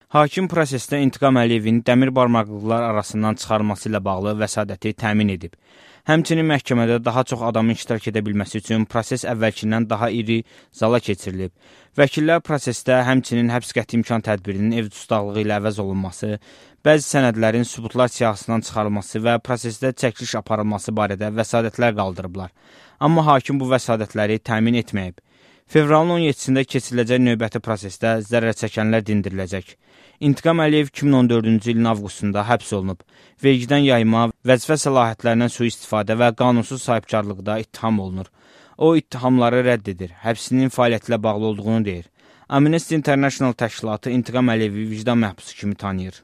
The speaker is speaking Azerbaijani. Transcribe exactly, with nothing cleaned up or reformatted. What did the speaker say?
Hakim prosesdə İntiqam Əliyevin dəmir barmaqlıqlar arasından çıxarılması ilə bağlı vəsadəti təmin edib. Həmçinin məhkəmədə daha çox adamın iştirak edə bilməsi üçün proses əvvəlkindən daha iri zala keçirilib. Vəkillər prosesdə həmçinin həbs qəti imkan tədbirinin ev dustaqlığı ilə əvəz olunması, bəzi sənədlərin sübutlar siyahısından çıxarılması və prosesdə çəkiliş aparılması barədə vəsadətlər qaldırıblar. Amma hakim bu vəsadətləri təmin etməyib. Fevralın on yeddisində keçiriləcək növbəti prosesdə zərər çəkənlər dindiriləcək. İntiqam Əliyev iki min on dördüncü ilin avqustunda həbs olunub. Vergidən yayma, vəzifə səlahiyyətlərindən sui-istifadə və qanunsuz sahibkarlıqda ittiham olunur. O, ittihamları rədd edir, həbsinin fəaliyyəti ilə bağlı olduğunu deyir. Amnesty International təşkilatı İntiqam Əliyevi vicdan məhbusu kimi tanıyır.